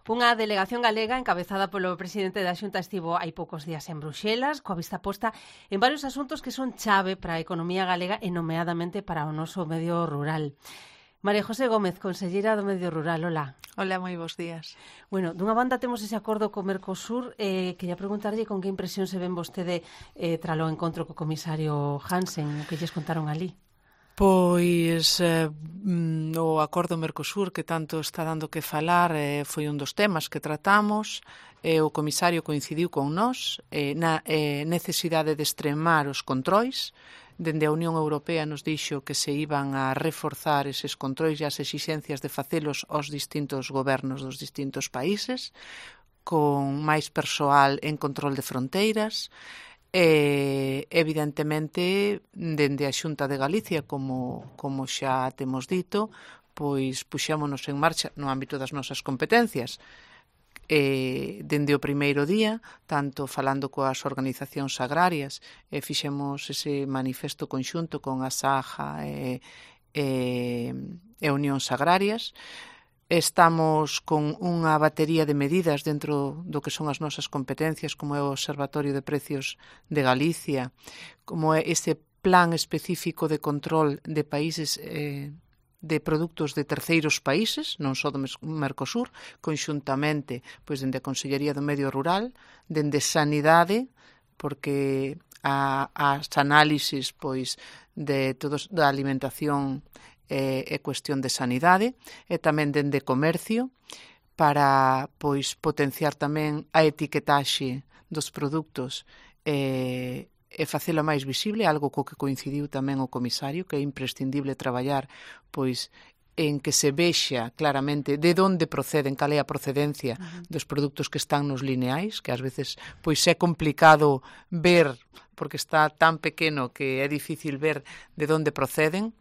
Unha delegación galega encabezada polo presidente da Xunta estivo hai poucos días en Bruxelas, coa vista posta en varios asuntos que son chave para a economía galega e nomeadamente para o noso medio rural. María José Gómez, conselleira do Medio Rural, hola. Hola, moi bons días. Bueno, dunha banda temos ese acordo co Mercosur, quería preguntarlle con que impresión se ven vostede tralo encontro co comisario Hansen, o que lles contaron ali. Pois o acordo Mercosur que tanto está dando que falar foi un dos temas que tratamos. O comisario coincidiu con nós na necesidade de extremar os controis. Dende a Unión Europea nos dixo que se iban a reforzar eses controis e as exixencias de facelos aos distintos gobernos dos distintos países, con máis persoal en control de fronteiras. Evidentemente, dende a Xunta de Galicia, como xa temos dito, pois puxémonos en marcha no ámbito das nosas competencias. Dende o primeiro día, tanto falando coas organizacións agrarias, fixemos ese manifesto conxunto con a SAJA e Unións Agrarias. Estamos con unha batería de medidas dentro do que son as nosas competencias, como é o Observatorio de Precios de Galicia, como é ese plan específico de control de países de produtos de terceiros países, non só do Mercosur, conxuntamente pois dende a Consellería do Medio Rural, dende Sanidade, porque as análisis pois de todos da alimentación é cuestión de sanidade, e tamén dende comercio, para pois potenciar tamén a etiquetaxe dos produtos e facelo máis visible, algo co que coincidiu tamén o comisario, que é imprescindible traballar pois en que se vexa claramente de onde proceden, cal é a procedencia dos produtos que están nos lineais, que ás veces pois é complicado ver, porque está tan pequeno que é difícil ver de onde proceden.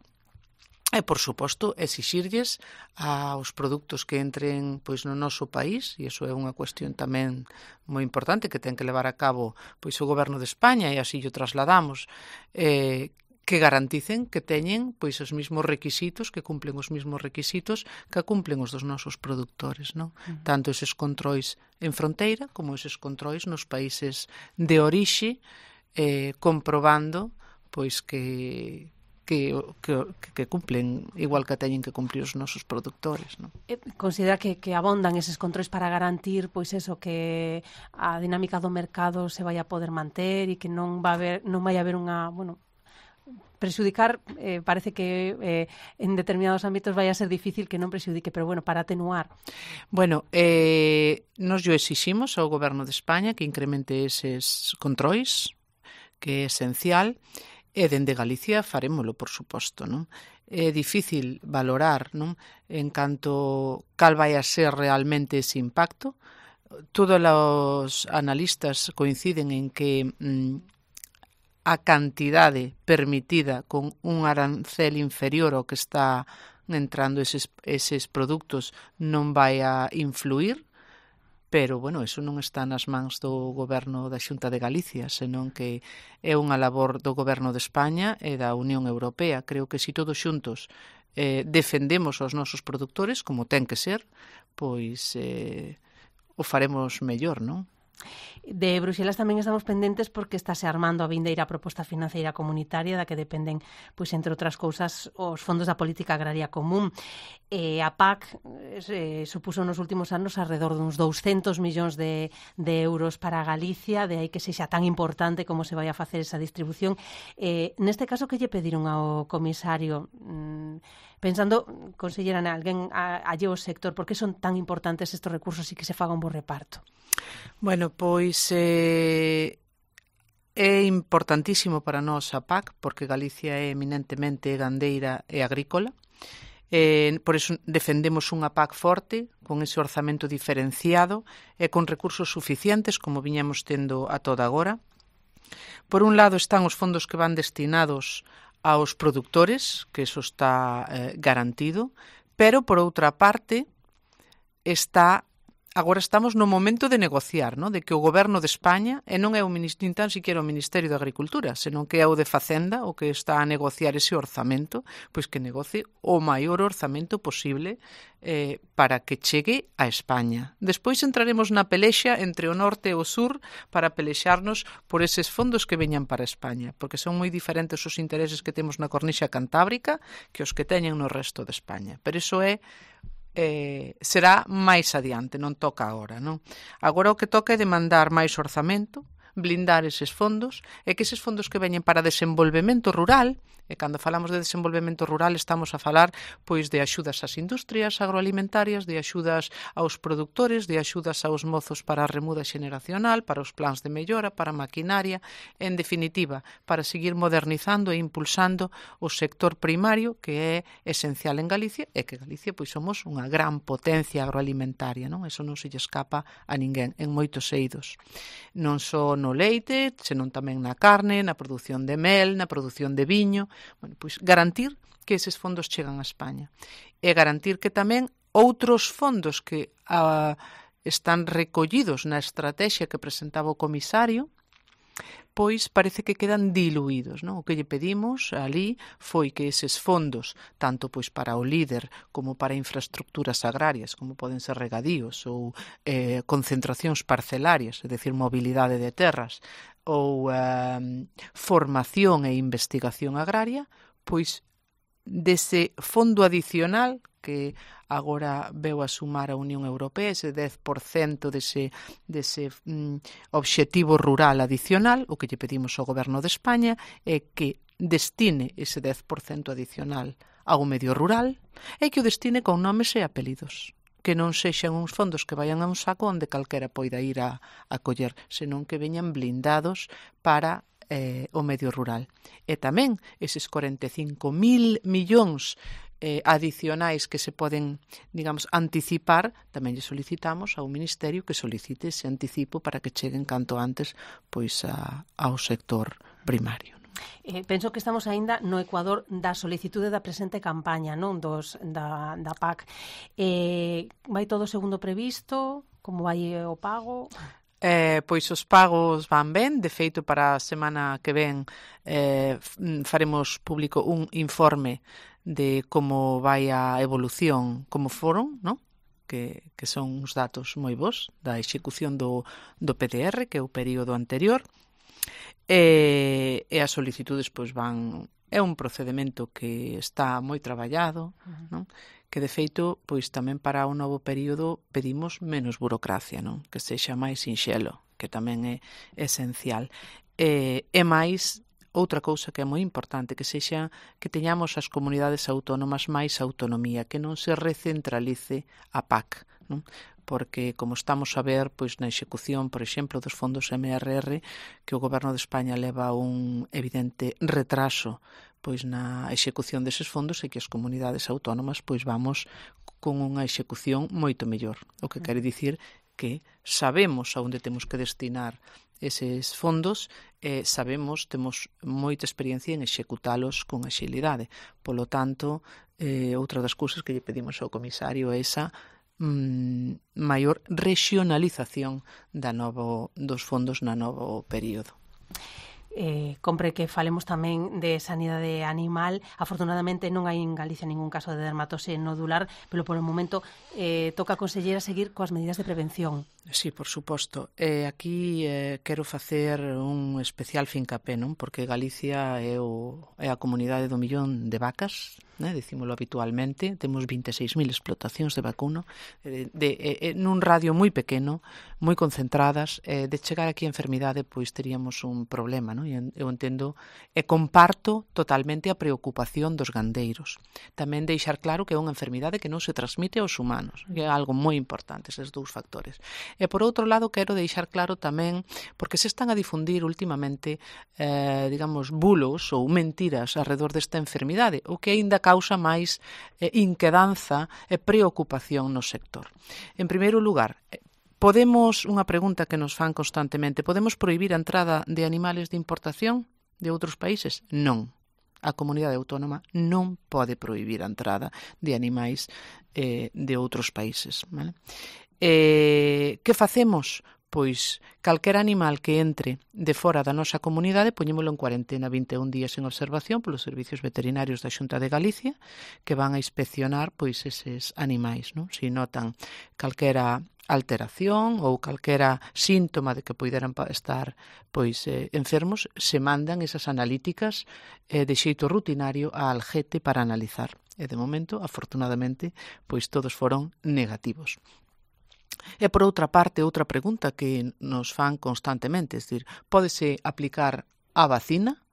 E, por suposto, exixirlles aos produtos que entren pois no noso país, e iso é unha cuestión tamén moi importante que ten que levar a cabo pois o Goberno de España, e así o trasladamos, que garanticen que teñen pois os mesmos requisitos, que cumplen os mesmos requisitos que cumplen os dos nosos produtores, non? Tanto eses controis en fronteira como eses controis nos países de orixe, comprobando pois que cumplen igual que teñen que cumplir os nosos produtores, non? Considera que abondan eses controis para garantir pois eso, que a dinámica do mercado se vai a poder manter e que non vai haber unha, prexudicar, parece que en determinados ámbitos vai a ser difícil que non prexudique, pero para atenuar. Nos yo exiximos ao Goberno de España que incremente eses controis, que é esencial. E dende Galicia farémolo, por suposto, non? É difícil valorar, non? En canto cal vai a ser realmente ese impacto. Todos os analistas coinciden en que a cantidade permitida con un arancel inferior ao que está entrando eses produtos non vai a influir, pero, eso non está nas mans do Goberno da Xunta de Galicia, senón que é unha labor do Goberno de España e da Unión Europea. Creo que se todos xuntos defendemos os nosos produtores, como ten que ser, pois o faremos mellor, non? De Bruxelas tamén estamos pendentes porque estáse armando a vindeira proposta financeira comunitaria da que dependen, pois, entre outras cousas, os fondos da política agraria común. A PAC supuso nos últimos anos alrededor duns 200 millóns de euros para Galicia, de aí que sexa tan importante como se vai a facer esa distribución. Neste caso, que lle pediron ao comisario? Pensando, consellera, alguén alleo ao sector, por que son tan importantes estes recursos e que se faga un bo reparto? Pois é importantísimo para nós a PAC, porque Galicia é eminentemente gandeira e agrícola. Por iso defendemos unha PAC forte, con ese orzamento diferenciado e con recursos suficientes, como viñamos tendo a toda agora. Por un lado están os fondos que van destinados aos produtores, que eso está garantido, pero por outra parte está agora estamos no momento de negociar, no? De que o Goberno de España, e non é nin tan siquiera o Ministerio de Agricultura, senón que é o de Facenda o que está a negociar ese orzamento, pois que negocie o maior orzamento posible para que chegue a España. Despois entraremos na pelexa entre o norte e o sur para pelexarnos por eses fondos que veñan para España, porque son moi diferentes os intereses que temos na cornixa cantábrica que os que teñen no resto de España. Pero iso será máis adiante, non toca agora, non? Agora o que toca é demandar máis orzamento, blindar eses fondos, e que eses fondos que veñen para desenvolvemento rural, e cando falamos de desenvolvemento rural estamos a falar pois de axudas ás industrias agroalimentarias, de axudas aos produtores, de axudas aos mozos para a remuda xeneracional, para os plans de mellora, para a maquinaria, en definitiva, para seguir modernizando e impulsando o sector primario que é esencial en Galicia, e que Galicia pois somos unha gran potencia agroalimentaria, non? Eso non se lle escapa a ninguén en moitos eidos. Non só no leite, senón tamén na carne, na produción de mel, na produción de viño. Bueno, pois garantir que eses fondos chegan a España e garantir que tamén outros fondos que están recollidos na estrategia que presentaba o comisario pois parece que quedan diluídos, non? O que lle pedimos ali foi que eses fondos, tanto pois para o líder como para infraestructuras agrarias, como poden ser regadíos ou concentracións parcelarias, é dicir, mobilidade de terras, ou formación e investigación agraria, pois dese fondo adicional que agora veu a sumar a Unión Europea, ese 10% dese obxectivo rural adicional, o que lle pedimos ao Goberno de España é que destine ese 10% adicional ao medio rural e que o destine con nomes e apelidos, que non sexan uns fondos que vayan a un saco onde calquera poida ir a coller, senón que veñan blindados para o medio rural. E tamén eses 45.000 millóns adicionais que se poden, digamos, anticipar, tamén lle solicitamos ao Ministerio que solicite ese anticipo para que cheguen canto antes pois ao sector primario. Penso que estamos aínda no Ecuador da solicitude da presente campaña, non? Da PAC. Vai todo segundo previsto? Como vai o pago? Pois os pagos van ben, de feito para a semana que ven faremos público un informe de como vai a evolución, como foron, non? Que son uns datos moi bons da execución do PDR, que é o período anterior, e as solicitudes pois van... É un procedimento que está moi traballado, non? Que de feito, pois tamén para o novo período pedimos menos burocracia, non? Que sexa máis sinxelo, que tamén é esencial. E máis, outra cousa que é moi importante, que sexa que teñamos as comunidades autónomas máis autonomía, que non se recentralice a PAC, non? Porque, como estamos a ver, pois na execución, por exemplo, dos fondos MRR, que o Goberno de España leva un evidente retraso pois na execución deses fondos e que as comunidades autónomas pois vamos con unha execución moito mellor. O que quere dicir que sabemos a onde temos que destinar eses fondos e sabemos, temos moita experiencia en executalos con axilidade. Polo tanto, outra das cousas que lle pedimos ao comisario é esa maior regionalización dos fondos na novo período. Compre que falemos tamén de sanidade animal. Afortunadamente non hai en Galicia ningún caso de dermatose nodular, pero polo momento toca a conselleira seguir coas medidas de prevención. Sí, por suposto. Aquí quero facer un especial fincapé, non? Porque Galicia é a comunidade do millón de vacas, né? Dicímolo habitualmente. Temos 26.000 explotacións de vacuno nun radio moi pequeno, moi concentradas. De chegar aquí a enfermidade, pois teríamos un problema, non? Eu entendo e comparto totalmente a preocupación dos gandeiros. Tamén deixar claro que é unha enfermidade que non se transmite aos humanos, que é algo moi importante, eses dous factores. E por outro lado, quero deixar claro tamén, porque se están a difundir últimamente, digamos, bulos ou mentiras alrededor desta enfermidade, o que aínda causa máis inquedanza e preocupación no sector. En primeiro lugar, unha pregunta que nos fan constantemente, podemos prohibir a entrada de animales de importación de outros países? Non. A comunidade autónoma non pode prohibir a entrada de animais de outros países, vale? Que facemos? Pois calquera animal que entre de fora da nosa comunidade poñémolo en cuarentena 21 días en observación polos servicios veterinarios da Xunta de Galicia que van a inspeccionar pois eses animais, non? Se notan calquera alteración ou calquera síntoma de que poideran estar pois enfermos, se mandan esas analíticas de xeito rutinario a Algete para analizar. E de momento, afortunadamente, pois todos foron negativos. E por outra parte, outra pregunta que nos fan constantemente, é dicir, pódese aplicar a vacina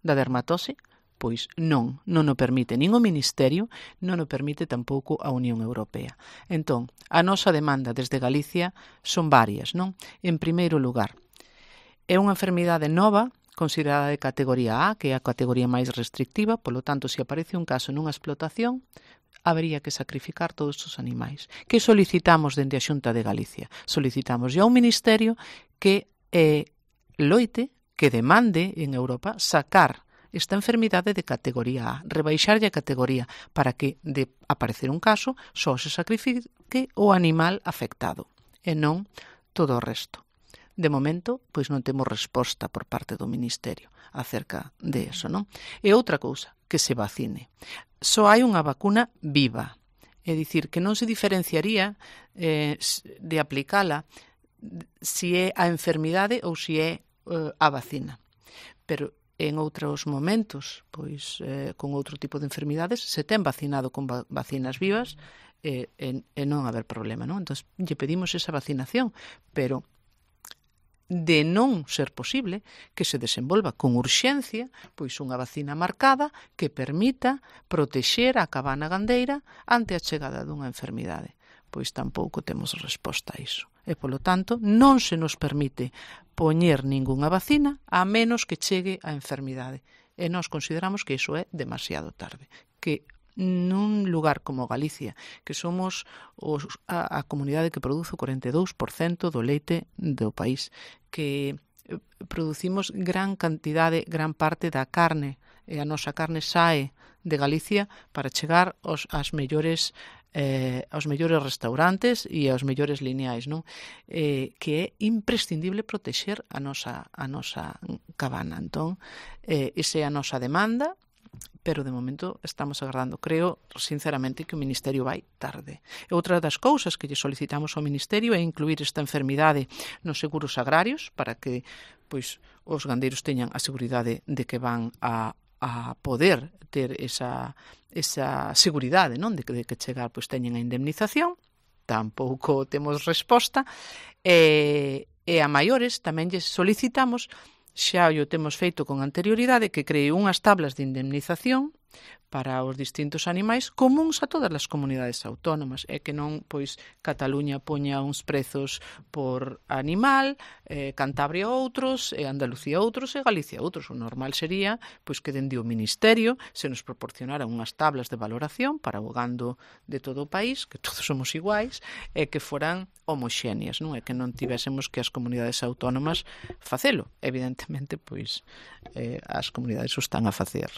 da dermatose? Pois non o permite nin o Ministerio, non o permite tampouco a Unión Europea. Entón, a nosa demanda desde Galicia son varias, non? En primeiro lugar, é unha enfermidade nova, considerada de categoría A, que é a categoría máis restrictiva, polo tanto, se aparece un caso nunha explotación, habería que sacrificar todos os animais. Que solicitamos dende a Xunta de Galicia? Solicitamos ao Ministerio que loite, que demande en Europa sacar esta enfermidade de categoría A, rebaixarlle a categoría para que, de aparecer un caso, só se sacrifique o animal afectado e non todo o resto. De momento, pois non temos resposta por parte do Ministerio acerca de eso, non? E outra cousa, que se vacine. Só hai unha vacuna viva, é dicir, que non se diferenciaría de aplicala se é a enfermidade ou se é a vacina. Pero en outros momentos, pois con outro tipo de enfermidades, se ten vacinado con vacinas vivas e non haber problema, non? Entón, lle pedimos esa vacinación, pero de non ser posible que se desenvolva con urxencia pois unha vacina marcada que permita protexer a cabana gandeira ante a chegada dunha enfermidade. Pois tampouco temos resposta a iso. E, polo tanto, non se nos permite poñer ningunha vacina a menos que chegue a enfermidade. E nós consideramos que iso é demasiado tarde. Que nun lugar como Galicia, que somos a comunidade que produce o 42% do leite do país, que producimos gran cantidade, gran parte da carne, e a nosa carne sae de Galicia para chegar aos mellores restaurantes e aos mellores lineais, non? Que é imprescindible protexer a nosa cabana. Entón, esa é a nosa demanda, pero de momento estamos agardando. Creo, sinceramente, que o Ministerio vai tarde. E outra das cousas que lle solicitamos ao Ministerio é incluir esta enfermidade nos seguros agrarios para que pois os gandeiros teñan a seguridade de que van a poder ter esa seguridade, non? De que chegar pois teñen a indemnización. Tampouco temos resposta. E a maiores tamén lles solicitamos, xa o temos feito con anterioridade, que cree unhas tablas de indemnización para os distintos animais comuns a todas as comunidades autónomas, e que non, pois, Cataluña poña uns prezos por animal, Cantabria outros, e Andalucía outros, e Galicia outros. O normal sería, pois, que dende o Ministerio se nos proporcionaran unhas tablas de valoración para o gando de todo o país, que todos somos iguais, e que foran homoxéneas, non? E que non tivésemos que as comunidades autónomas facelo. Evidentemente, pois, as comunidades o están a facer.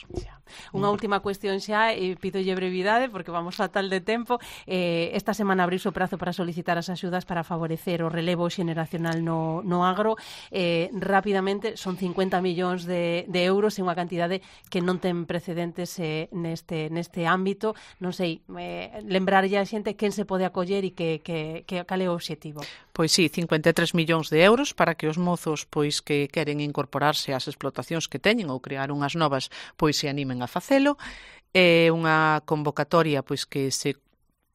Unha última cuestión xa, e pídolle brevidade porque vamos fatal de tempo. Esta semana abriuse o prazo para solicitar as axudas para favorecer o relevo xeneracional no agro. Rapidamente, son 50 millóns de euros, e unha cantidade que non ten precedentes neste ámbito. Non sei, lembrarlle a xente quen se pode acoller e cal é o obxectivo. Pois sí, 53 millóns de euros para que os mozos pois que queren incorporarse ás explotacións que teñen ou crear unhas novas pois se animen a facelo. É unha convocatoria pois que se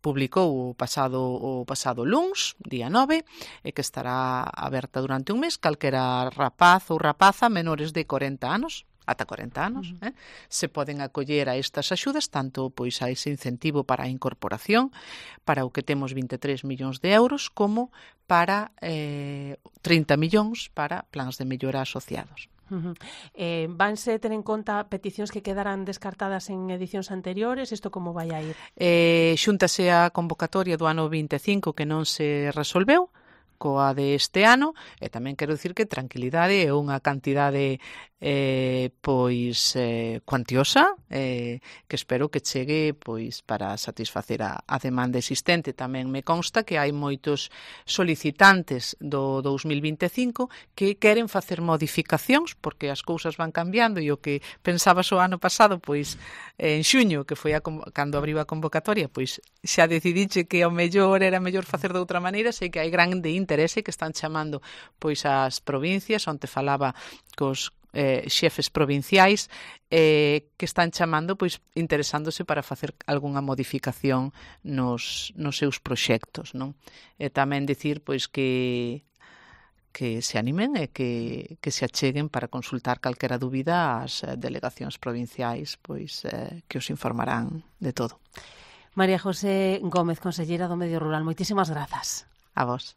publicou o pasado luns, día 9, e que estará aberta durante un mes. Calquera rapaz ou rapaza menores de 40 anos, ata 40 anos, se poden acoller a estas axudas, tanto pois a ese incentivo para a incorporación, para o que temos 23 millóns de euros, como para 30 millóns para plans de mellora asociados. Vanse ter en conta peticións que quedaran descartadas en edicións anteriores? Isto como vai a ir? Xúntase a convocatoria do ano 25 que non se resolveu, coa de este ano, e tamén quero dicir que tranquilidade é unha cantidade cuantiosa, que espero que chegue para satisfacer a demanda existente. Tamén me consta que hai moitos solicitantes do 2025 que queren facer modificacións, porque as cousas van cambiando, e o que pensabas o ano pasado, en xuño, que foi cando abriu a convocatoria, xa decidiche que ao mellor era mellor facer de outra maneira. Sei que hai grande interese, que están chamando as provincias, onde falaba cos xefes provinciais, que están chamando, interesándose para facer algunha modificación nos seus proxectos, non? E tamén dicir, que se animen e que se acheguen para consultar calquera dúbida ás delegacións provinciais, que os informarán de todo. María José Gómez, conselleira do Medio Rural, moitísimas grazas. A vos.